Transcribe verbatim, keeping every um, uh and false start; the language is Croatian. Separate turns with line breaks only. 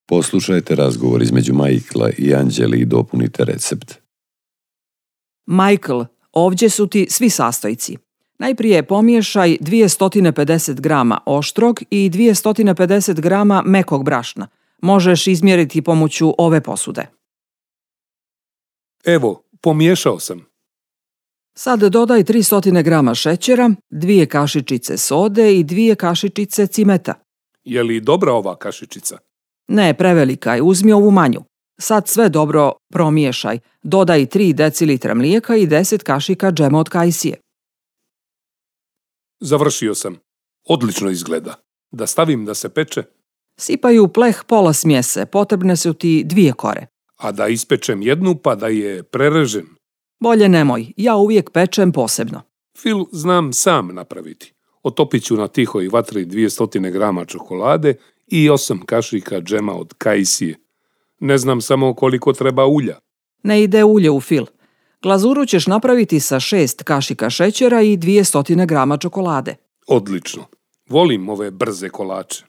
Poslušajte razgovor između Michaela i Anđeli i dopunite recept.
Michael, ovdje su ti svi sastojci. Najprije pomiješaj dvjesto pedeset grama oštrog i dvjesto pedeset grama mekog brašna. Možeš izmjeriti pomoću ove posude.
Evo, pomiješao sam.
Sad dodaj tristo grama šećera, dvije kašičice sode i dvije kašičice cimeta.
Je li dobra ova kašičica?
Ne, prevelika je, uzmi ovu manju. Sad sve dobro promiješaj. Dodaj tri decilitra mlijeka i deset kašika džema od kajsije.
Završio sam. Odlično izgleda. Da stavim da se peče?
Sipaj u pleh pola smjese, potrebne su ti dvije kore.
A da ispečem jednu pa da je prerežem?
Bolje nemoj, ja uvijek pečem posebno.
Fil znam sam napraviti. Otopit ću na tihoj vatri dvjesto grama čokolade i osam kašika džema od kajsije. Ne znam samo koliko treba ulja.
Ne ide ulje u fil. Glazuru ćeš napraviti sa šest kašika šećera i dvjesto grama čokolade.
Odlično. Volim ove brze kolače.